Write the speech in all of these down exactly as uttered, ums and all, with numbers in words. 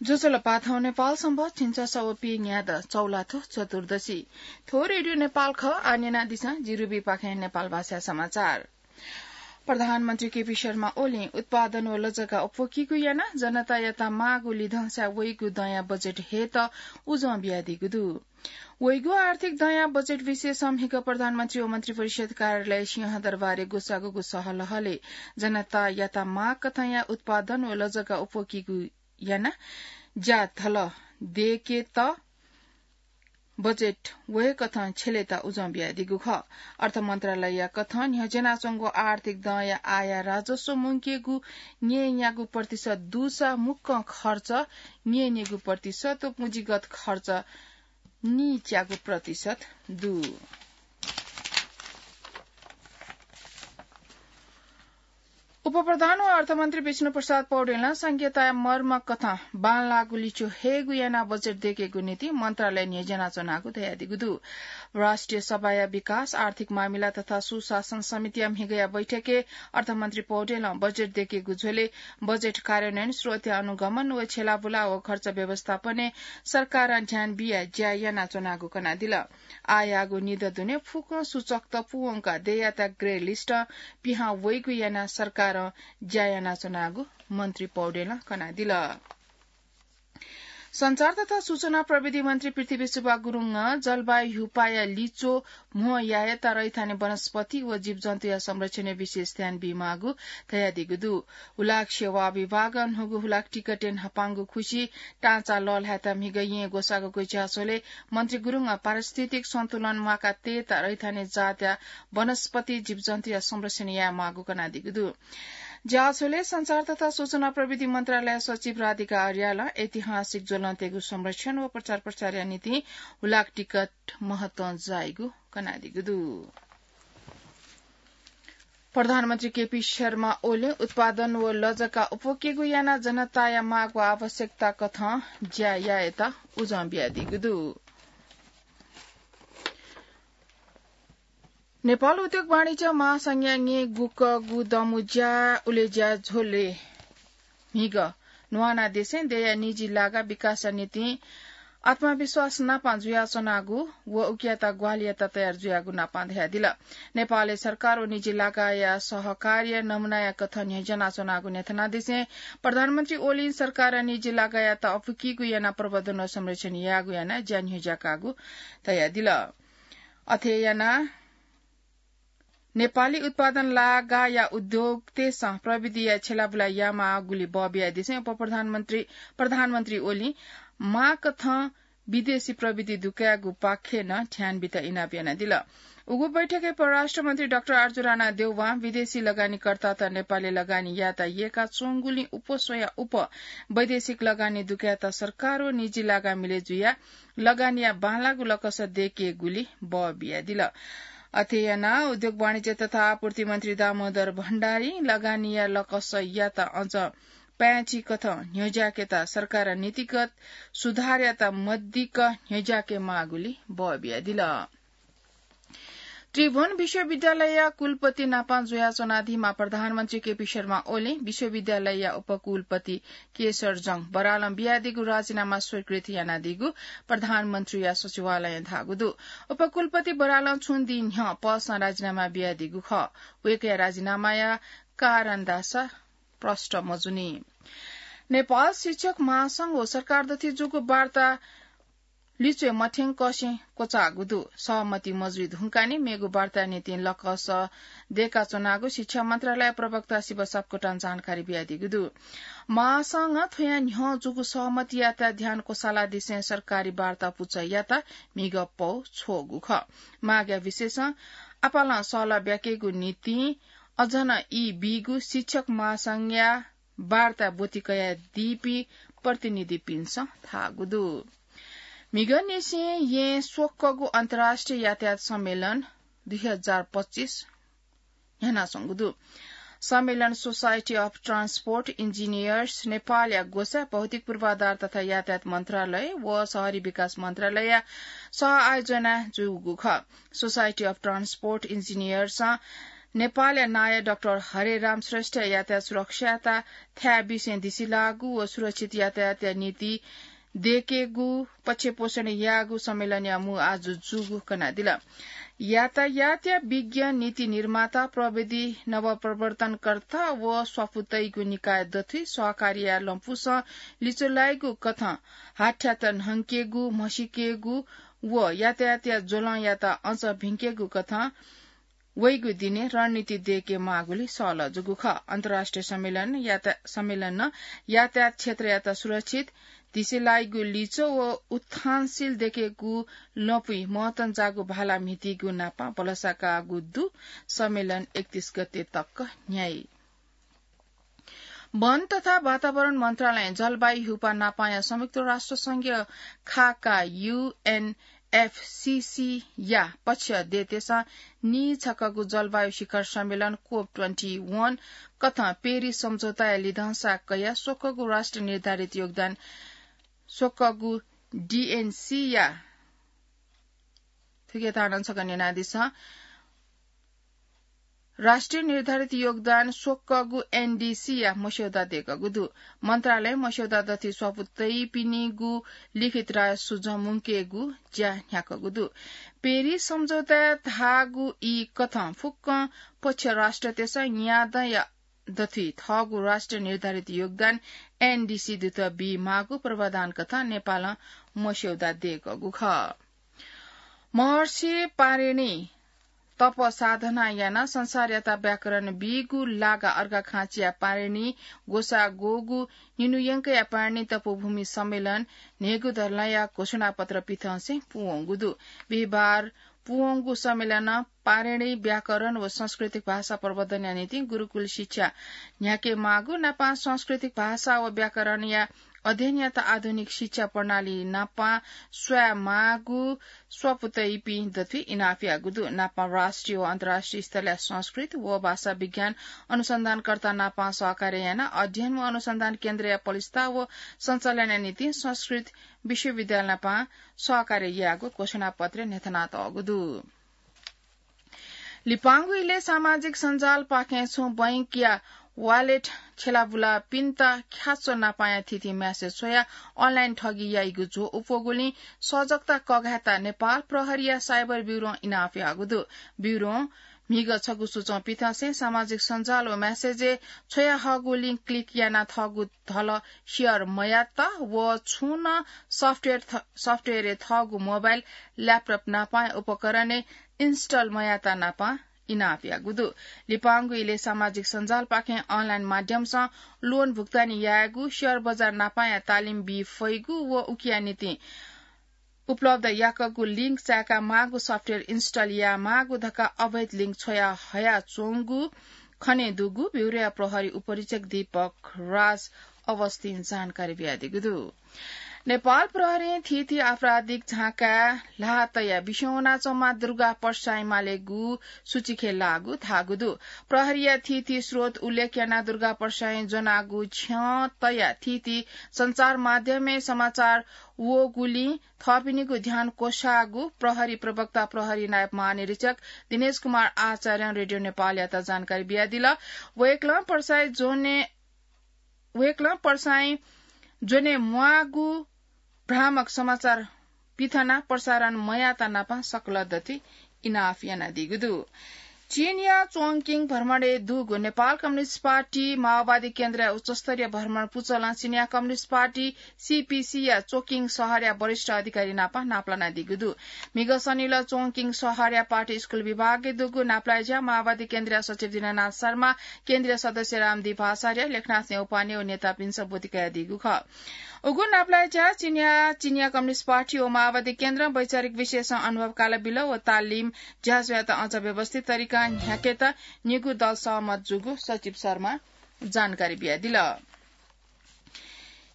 ज्वजलपा, थौं नेपाल संवत् झिंछसः व पीन्यादँ चौलाथ्व चतुर्दशी। थ्व रेडियो नेपाल खः, आः न्यनादिसँ जिरुबीपाखें नेपाल भाषा समाचार। प्रधानमन्त्री केपी शर्मा ओलीं उत्पादन व लजगाः अप्वकीगु यानाः जनतायात माःगु लिधंसाय् वइगु दँया बजेट हयेत उजं बियादीगु दु। वइगु आर्थिक दँया बजेट विषयसं म्हिगः प्रधानमन्त्री व मन्त्रिपरिषद कार्यालय सिंहदरबारय् ग्वसाःगु सहलहलय् जनतायात माःकथंया उत्पादन व लजगाः अप्वकीगु यानाः ज्याझ्वः दयेकेत बजेट वयेकथं छ्यलेत उजं बियादीगु खः। अर्थ मन्त्रालयया कथं न्ह्यज्यानाच्वंगु आर्थिक दँया आय राजस्व मुंकेगु न्यय्‌न्यागू प्रतिशत दुसा मुक्कं खर्च न्यय्‌न्येगू प्रतिशत व पुँजीगत खर्च नीच्यागू प्रतिशत दु। उपप्रधान व अर्थमन्त्री विष्णुप्रसाद पौडेलं संघीयताया मर्म कथं बांलाःगु लिच्वः हयेगु यानाः बजेट दयेकेगु निंतिं मन्त्रालय न्ह्यज्यानाच्वनागु धयादीगु दु। राष्ट्रिय सभाया विकास, आर्थिक मामिला तथा सुशासन समितिया म्हिगःया बैठकय् अर्थमन्त्री पौडेलं बजेट दयेकेगु झ्वलय् बजेट कार्यान्वयन, स्रोतया अनुगमन व छ्यलाबुला व खर्च व्यवस्थापनय् सरकारं ध्यान बियाः ज्या यानाच्वनागु कनादिल। आःयागु निदँ दुने फुक्क सूचकत पूवंकाः दँयात ग्रे लिस्टं पिहां वइगु यानाः सरकारं ज्या यानाच्वनागु मन्त्री पौडेलं कनादिल। सञ्चार तथा सूचना प्रविधि मन्त्री पृथ्वी सुब्बा गुरुङं जलवायु ह्युपाया लिच्वः म्हो यायेत रैथाने वनस्पति व जीवजन्तुया संरक्षणय् विशेष ध्यान बीमाःगु धयादीगु दु। हुलाक सेवा विभागं न्हूगु हुलाक टिकटय् न्हापांगु खुसि टाँचा लःल्हायेत म्हिगः येँ ग्वसाःगु ज्याझ्वलय् मन्त्री गुरुङं पारिस्थितिक सन्तुलन म्वाका तयेत रैथाने जातया वनस्पति जीवजन्तुया संरक्षण यायेमाःगु कनादीगु दु। ज्याझ्वलय् सञ्चार तथा सूचना प्रविधि मन्त्रालय सचिव राधिका अर्यालं ऐतिहासिक ज्वलंतय्‌गु संरक्षण व प्रचार प्रसारया निंतिं हुलाक टिकट महत्वं जाइगु कनादीगु दु। प्रधानमन्त्री केपी शर्मा ओलीं उत्पादन व लजगाः अप्वकेगु यानाः जनताया माःगु आवश्यकता कथं ज्या यायेत उजं बियादीगु दु। नेपाल उद्योग वाणिज्य महासंघया न्येगुकगु दमु ज्या उलेज्या झ्वलय् म्हिगः न्हुवाना देशय् दँया निजी लागा विकासया निंतिं आत्मविश्वास नापं जुयाच्वनागु व उकियात ग्वाहालियात तयार जुयागु नापं धयादिल। नेपालय् सरकार व निजी लागाया सहकार्य नमुनाया कथं न्ह्यज्यानाच्वनागु न्ह्यथनादिसें प्रधानमन्त्री ओलीं सरकारं निजी लागायात अप्वकीगु यानाः प्रवर्धन व संरक्षण यायेगु यानाः ज्या न्ह्यज्याकागु धयादिल। अथे यानाः नेपाली उत्पादन लागाया उद्योगतय्‌सं प्रविधिया छ्यलाबुला यायेमाःगुलि बः बियादिसें उपप्रधानमन्त्री, प्रधानमन्त्री ओलीं माःकथं विदेशी प्रविधि दुकायेगु पाखें नं ध्यान बीत इनाप यानादिल। उगु बैठकय् परराष्ट्र मन्त्री डाक्टर आर्जु राणा देउवां विदेशी लगानीकर्तात नेपालय् लगानी यायेत यय्‌काच्वंगुलिं उपस्वया उप वैदेशिक लगानी दुकायेत सरकार व निजी लागा मिलय् जुयाः लगानीया बांलाःगु लकस दयेकेगुलि बः बियादिल। अथे यानाः उद्योग वाणिज्य तथा आपूर्ति मन्त्री दामोदर भण्डारीं लगानीया लकसयात अझ पाय्‌छि कथं न्ह्यज्याकेत सरकारं नीतिगत सुधारयात मदिक्क न्ह्यज्याकेमाःगुलि बः बियादिल। त्रिभुवन विश्वविद्यालयया कुलपति नापं जुयाच्वनादीम्ह प्रधानमन्त्री केपी शर्मा ओलीं विश्वविद्यालयया उपकुलपति केशरजंग बरालं बियादीगु राजीनामा स्वीकृत यानादीगु प्रधानमन्त्रीया सचिवालयं धाःगु दु। उपकुलपति बरालं छुं दिं न्ह्यः पदसं राजीनामा बियादीगु खः। वय्‌कःया राजीनामाया कारण धाःसा प्रष्ट मजुनि। नेपाल शिक्षक महासंघ व सरकार दथुइ जूगु वार्ता लिच्वये मथ्यंकसें क्वचाःगु दु। सहमति मजुइ धुंकाः नि मेगु वार्ताया निंतिं लकस दय्‌काच्वनागु शिक्षा मन्त्रालय प्रवक्ता शिव सापकोटां जानकारी बियादीगु दु। महासंघं थ्वया न्ह्यः जूगु सहमतियात ध्यान क्वसालादिसें सरकारी वार्ता पुचःयात म्हिगः पौ छ्वःगु खः। मागया विषयसं आपालं सहलह ब्याकेगु निंतिं अझ नं ई बीगु शिक्षक महासंघया वार्ता ब्वति कयादीपिं प्रतिनिधिपिन्सं धाःगु दु। म्हिगःनिसें येँ स्वक्वःगु अन्तर्राष्ट्रिय यातायात सम्मेलन दुई हजार पच्चिस न्ह्यानाच्वंगु दु। सम्मेलन सोसाइटी अफ ट्रान्सपोर्ट इन्जिनियर्स नेपालया ग्वसाः भौतिक पूर्वाधार तथा यातायात मन्त्रालय व शहरी विकास मन्त्रालयया सह आयोजनाय् जूगु खः। सोसाइटी अफ ट्रान्सपोर्ट इन्जिनियर्सं नेपालया नायः डाक्टर हरेराम श्रेष्ठया यातायात सुरक्षायात थाय् बिसें दिसिलाःगु व सुरक्षित यातायातया नीति देकेगु पक्षपोषण याःगु सम्मेलनया मू आजु जूगु कनादिल। यातायातया विज्ञ, नीति निर्माता, प्रविधि नवप्रवर्तनकर्ता व स्वापू तइगु निकाय दथुइ सहकारीया लँपुसं लिचो लाइगु कथं हाथ्यात न्हंकेगु, म्हसीकेगु व यातायातया ज्वलंयात अझ भिंकेगु कथं वइगु दिने रणनीति देके माःगुली सहलह जूगु खः। अन्तर्राष्ट्रिय सम्मेलन याता-, सम्मेलनं यातायात क्षेत्रयात सुरक्षित, दिसे लाइगु लिचो व उत्थानशील देकेगु लँपुइ महत्वं जाःगु भाला म्हितीगु नापं भलसा काःगु दु। सम्मेलन एकतीस गते तक न्ह्याइ। वन तथा वातावरण मन्त्रालयं जलवायु ह्युपा नापांया संयुक्त राष्ट्र संघीय खाका, यु एन एफ सी सी या पक्ष देतेसं नीछकःगु जलवायु शिखर सम्मेलन कोप ट्वेन्टी वन कथं पेरिस सम्झौताया लिधंसा कयाः स्वकःगु राष्ट्र निर्धारित योगदान स्वकःगु डी एन सी या थुके तानं छकः न्यनादिसँ। राष्ट्रिय निर्धारित योगदान स्वकःगु एन डी सी या मस्यौदा देकःगु दु। मन्त्रालयं मस्यौदा दथुइ स्वापू तइपिनिगु लिखित राय सुझं मुंकेगु ज्या न्ह्याकःगु दु। पेरिस सम्झौताय् धाःगु ई कथं फुक्कं पक्ष राष्ट्रतय्सं न्यादँया दथुइ थःगु राष्ट्रिय निर्धारित योगदान एन डी सी दुत बी माःगु पूर्वाधान कथं नेपालं मस्यौदा देकःगु खः। महर्षि पाणिनि तप साधना यानाः संसारयात व्याकरण बीगु लागा अर्घाखाँचिया पाणिनि ग्वसाः ग्वःगु निन्हु यंकया पाणिनि तपोभूमि सम्मेलन न्हय्गू धरलाया घोषणापत्र पिथंसें पूवंगु दु। बिहिबार पूवंगु सम्मेलनं पाणिनि व्याकरण व सांस्कृतिक भाषा प्रवर्धनया निंतिं गुरुकुल शिक्षा न्ह्याके माःगु नापं सांस्कृतिक भाषा व व्याकरणया अध्ययनयात आधुनिक शिक्षा प्रणाली नापं स्वये माःगु स्वापू तइपिं दथुइ इनाप याःगु दु। नापं राष्ट्रिय व अन्तर्राष्ट्रिय स्तरया संस्कृत व भाषा विज्ञान अनुसन्धानकर्ता नापं सहकार्य यानाः अध्ययन व अनुसन्धान केन्द्रया पलिस्था व सञ्चालनया निंतिं संस्कृत विश्वविद्यालय नापं सहकार्य याःगु घोषणापत्रय् न्ह्यथनातःगु दु। लिपांगु इलय् सामाजिक सञ्जालपाखें छुं बैंकया वालेट खेलाबुलापिन्त ख्याच्वः नापांया थीथी म्यासेज छ्वयाः अनलाइन ठगी याइगु झ्वः उप्वःगुलिं सजगता कघायेत नेपाल प्रहरीया साइबर ब्युरों इनाप याःगु दु। ब्युरों म्हिगः छगू सूचं पिथंसें सामाजिक सञ्जाल व म्यासेजय् छ्वयाहःगु लिंक क्लिक यानाः थःगु धल सेयर मयात व छुं नं सफ्टवेयर थ-, सफ्टवेयरय् थःगु मोबाइल, ल्यापटप नापांया उपकरणय् इन्स्टल मयात नापं इनाप याःगु दु। लिपांगु इलय् सामाजिक सञ्जालपाखें अनलाइन माध्यमसं लोन भुक्तानी यायेगु, सेयर बजार नापांया तालिम बी फइगु व उकिया निंतिं उपलब्ध याकःगु लिंक चाय्का माःगु सफ्टवेयर इन्स्टल याये माःगु धकाः अवैध लिंक छ्वया हयाच्वंगु खनेदुगु ब्युरोया प्रहरी उपरीक्षक दीपक राज अवस्थिन जानकारी बियादीगु दु। नेपाल प्रहरीं थीथी आपराधिक झाँकाय् ल्हाः तयाः बिस्युं वनाच्वंम्ह दुर्गा पर्साईं मालेगु सूचीखे लाःगु धाःगु दु। प्रहरीया थीथी स्रोत उल्लेख यानाः दुर्गा पर्साईं ज्वनागु छ्यं तयाः थीथी सञ्चार माध्यमय् समाचार वःगुलिं थःपिनिगु ध्यान क्वसाःगु प्रहरी प्रवक्ता प्रहरी नायब महानिरीक्षक दिनेश कुमार आचार्यं रेडियो नेपालयात जानकारी बियादिल। वय्कलं पर्साईं ज्वने, वय्कलं पर्साईं ज्वने म्वाःगु भ्रामक समाचार पिथनाः प्रसारण मयात नापं सकल दथुइ इनाप यानादीगु दु। चीनया च्वंकिङ भ्रमणय् दुगु नेपाल कम्युनिस्ट पार्टी माओवादी केन्द्रया उच्चस्तरीय भ्रमण पुचलं चीनया communist party C P C या च्वंकिङ शहरया वरिष्ठ अधिकारी नापं नापलानादीगु दु। म्हिगः शनिलः च्वंकिङ शहरया पार्टी स्कुल विभागय् दुगु नापलाये ज्या माओवादी केन्द्रया सचिव दीननाथ शर्मा, केन्द्रीय सदस्य रामदीप आचार्य, लेखनाथ न्यौपाने व नेतापिन्सं ब्वति कयादीगु खः। उगु नापलाये ज्या चीनया, चीनया कम्युनिस्ट पार्टी व माओवादी केन्द्रं वैचारिक विषयसं अनुभव काला बिल व तालिम ज्याझ्वःयात अझ व्यवस्थित तरिकां न्ह्याकेत निगू दल सहमत जूगु सचिव शर्मां जानकारी बियादिल।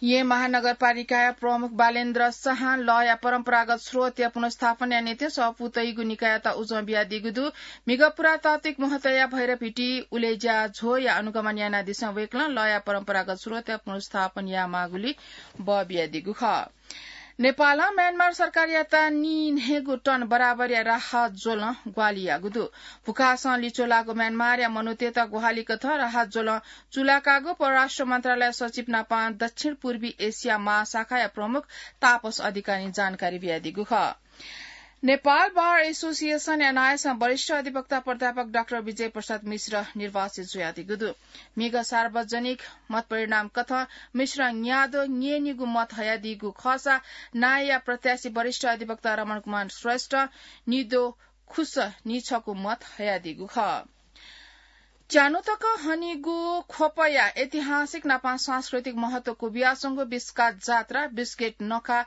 येँ महानगरपालिकाया प्रमुख बालेन्द्र शाहं लःया परम्परागत स्रोतया पुनर्स्थापनया निंतिं सःपू तइगु निकाययात उजं बियादीगु दु। म्हिगः पुरातात्विक महत्वया भैरवहिटी उलेज्या झ्वःया अनुगमन यानादिसँ वय्कलं लःया परम्परागत स्रोतया पुनर्स्थापन यायेमाःगुलिं बः बियादीगु खः। नेपालं म्यानमार सरकारयात नीन्हय्गू टन बराबरया राहत ज्वलं ग्वाहालि याःगु दु। भुखासं लिच्वलाःगु म्यानमारया मनूतय्त ग्वाहालि कथं राहत ज्वलं चूलाकाःगु परराष्ट्र मन्त्रालय सचिव नापं दक्षिण पूर्वी एसिया महाशाखाया प्रमुख तापस अधिकारीं जानकारी बियादीगु खः। नेपाल बार एसोसिएसनया नायःसं वरिष्ठ अधिवक्ता प्राध्यापक डाक्टर विजय प्रसाद मिश्र निर्वाचित जुयादीगु दु। म्हिगः सार्वजनिक मत परिणाम कथं मिश्रं न्याद्वः न्यय्निगू मत हयादीगु खःसा नायःया प्रत्याशी वरिष्ठ अधिवक्ता रमण कुमार श्रेष्ठं निद्वः खुस नीछगू मत हयादीगु खः। च्यान्हु तक हनीगु ख्वपया ऐतिहासिक नापं सांस्कृतिक महत्व क्वबियाच्वंगु बिस्कात जात्रा बिस्केट नखा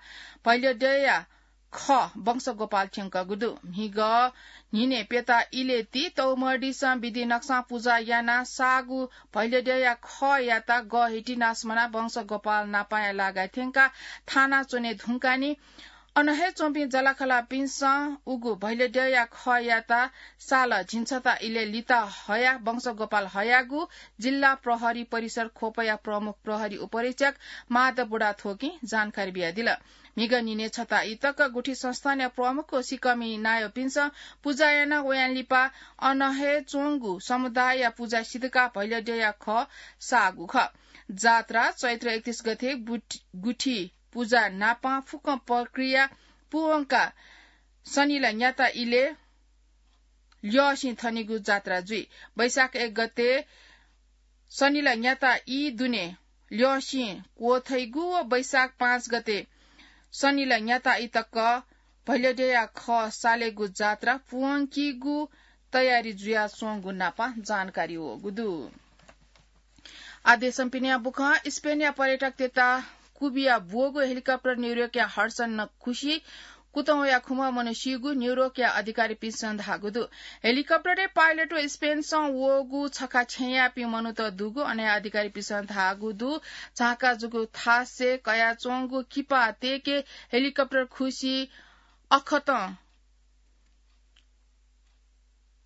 भैलद्यःया खः वंशगोपाल थ्यंकःगु दु। म्हिगः न्हिनय् प्यता इलय् ति तौमर्दिसं विधि नकसं पुजा यानाः साःगु भैलद्यःया खःयात गःहितिनास मनाः वंशगोपाल नापंया लागाय् थ्यंकाः थाना च्वने धुंकानि अन हे च्वंपिं जःलाखःलापिन्सं उगु भैलद्यःया खःयात साल झिंछता इलय् लिता हयाः वंशगोपाल हयागु जिल्ला प्रहरी परिसर ख्वपया प्रमुख प्रहरी उपरीक्षक माधव बुढाथोकीं जानकारी बियादिल। म्हिगः न्हिनय् छता ई तक गुठी संस्थानया प्रमुख व सिकःमि नायःपिन्सं पुजा यानाः वयां लिपा अन हे च्वंगु समुदायया पुजा सिधकाः भैलद्यःया खः साःगु खः। जात्रा चैत्र एकतीस गते बुट-, गुठी पुजा नापं फुक्क प्रक्रिया पूवंकाः सनिला न्याता इलय् ल्यःसिं थनिगु जात्रा जुइ। वैशाख एक गते सनिला न्याता ई दुने ल्यःसिं क्वथइगु व वैशाख पाँच गते सनिला न्याता ई तक भैलद्यःया खः सालेगु जात्रा पूवंकीगु तयारी जुयाच्वंगु नापं जानकारी वःगु दु। आः देशं पिनेया बुखँ। स्पेनया पर्यटकतय्त क्वबिया ब्वःगु हेलिकप्टर न्यूयोर्कया हडसन खुसि कुतः वयाः खुम्ह मनू सीगु न्यूयोर्कया अधिकारीपिन्सं धाःगु दु। हेलिकप्टरया पाइलट व स्पेनसं वःगु छखा छेँयापिं मनूत दुगु अनया अधिकारीपिन्सं धाःगु दु। झांका जूगु थासय् कयाच्वंगु किपा तय्के हेलिकप्टर खुसि अखतं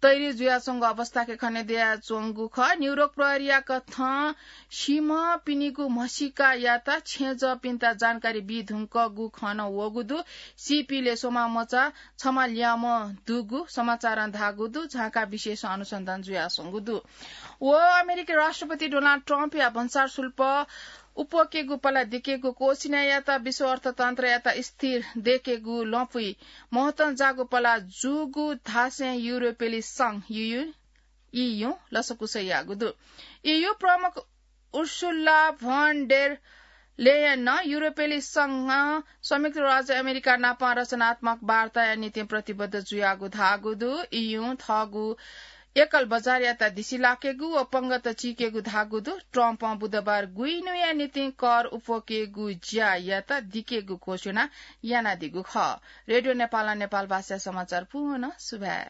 तयारी जुयाच्वंगु अवस्थाके खने दयाच्वंगु खः। न्यूयोर्क प्रहरीया कथं सीम्हपिनिगु म्हसीकायात छेँजःपिन्त जानकारी बी धुंकूगु खँ नं वःगु दु। सीपिले स्वम्ह मचा छम्ह ल्याःम्ह दुगु समाचारं धाःगु दु। झांका विशेष अनुसन्धान जुयाच्वंगु दु। व अमेरिकी राष्ट्रपति डोनाल्ड ट्रम्पया भन्सार शुल्क उप्वकेगु पला दिकेगु क्वःछिनायात विश्व अर्थतन्त्रयात स्थिर दयेकेगु लँपुइ महत्वं जाःगु पला जूगु धासें युरोपेली संघ, यु-, यु-, ईयू लसकुस याःगु दु। ईयू प्रमुख उर्सुला भन डेर लेयनं युरोपेली संघं संयुक्त राज्य अमेरिका नाप रचनात्मक वार्ताया निंतिं प्रतिबद्ध जुयागु धाःगु दु। ईयूं थःगु एकल बजारयात दिसिलाकेगु व पंगत चीकेगु धाःगु दु। ट्रम्पं बुधबार गुइन्हुया निंतिं कर उप्वकेगु ज्यायात दिकेगु घोषणा यानादीगु खः। रेडियो नेपालं नेपाल भाषाया समाचार पूवं सुभाय्।